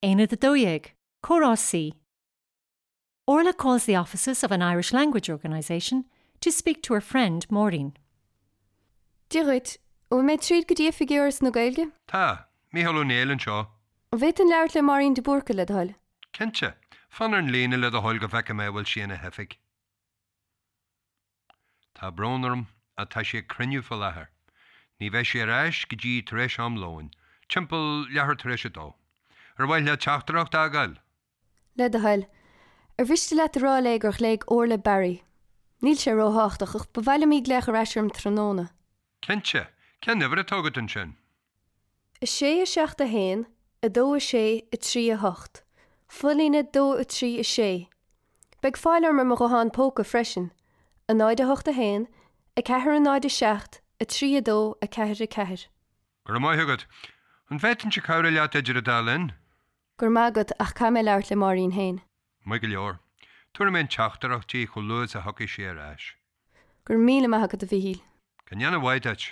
Aonad 12, Comhrá C. Orla calls the offices of an Irish language organisation to speak to her friend Maureen. Dia dhuit, an bhfuil mé tríd go dtí oifigí Fhoras na Gaeilge? Tá, Mícheál Ó Néill anseo. An bhféadfainn labhairt le Máirín de Búrca, le do thoil? Cinnte. Fan ar an líne le do thoil go bhfeicfidh mé an bhfuil sí ina hoifig. Tá brón orm, ach tá sí ag cruinniú faoi láthair. Ní bheidh sí ar ais go dtí tar éis am lóin, timpeall leathuair tar éis a dó. Ar mhaith leat teachtaireacht a fhágáil? Le do thoil. Ar mhiste leat a rá léi gur ghlaoigh Orla Barry? Níl sé róthábhachtach, ach ba mhaith liom í glaoch ar ais orm tráthnóna. Cinnte. Cén uimhir atá agat ansin? 6 7 1 2 6 3 8. Folíne 2 3 6. Beidh fáil orm ar mo ghuthán póca freisin, 0 8 1 4 0 7 3 2 4 4. Go raibh maith agat. An bhféadfainnse cabhrú leat idir an dá linn? Go raibh maith agat ach caithfidh mé labhairt le Máirín féin. Maith go leor. Tabharfaidh mé an teachtaireacht di chomh luath is a thiocfaidh sí ar ais. Go raibh míle maith agat a Mhíchíl. Go ndéana a mhaith duit.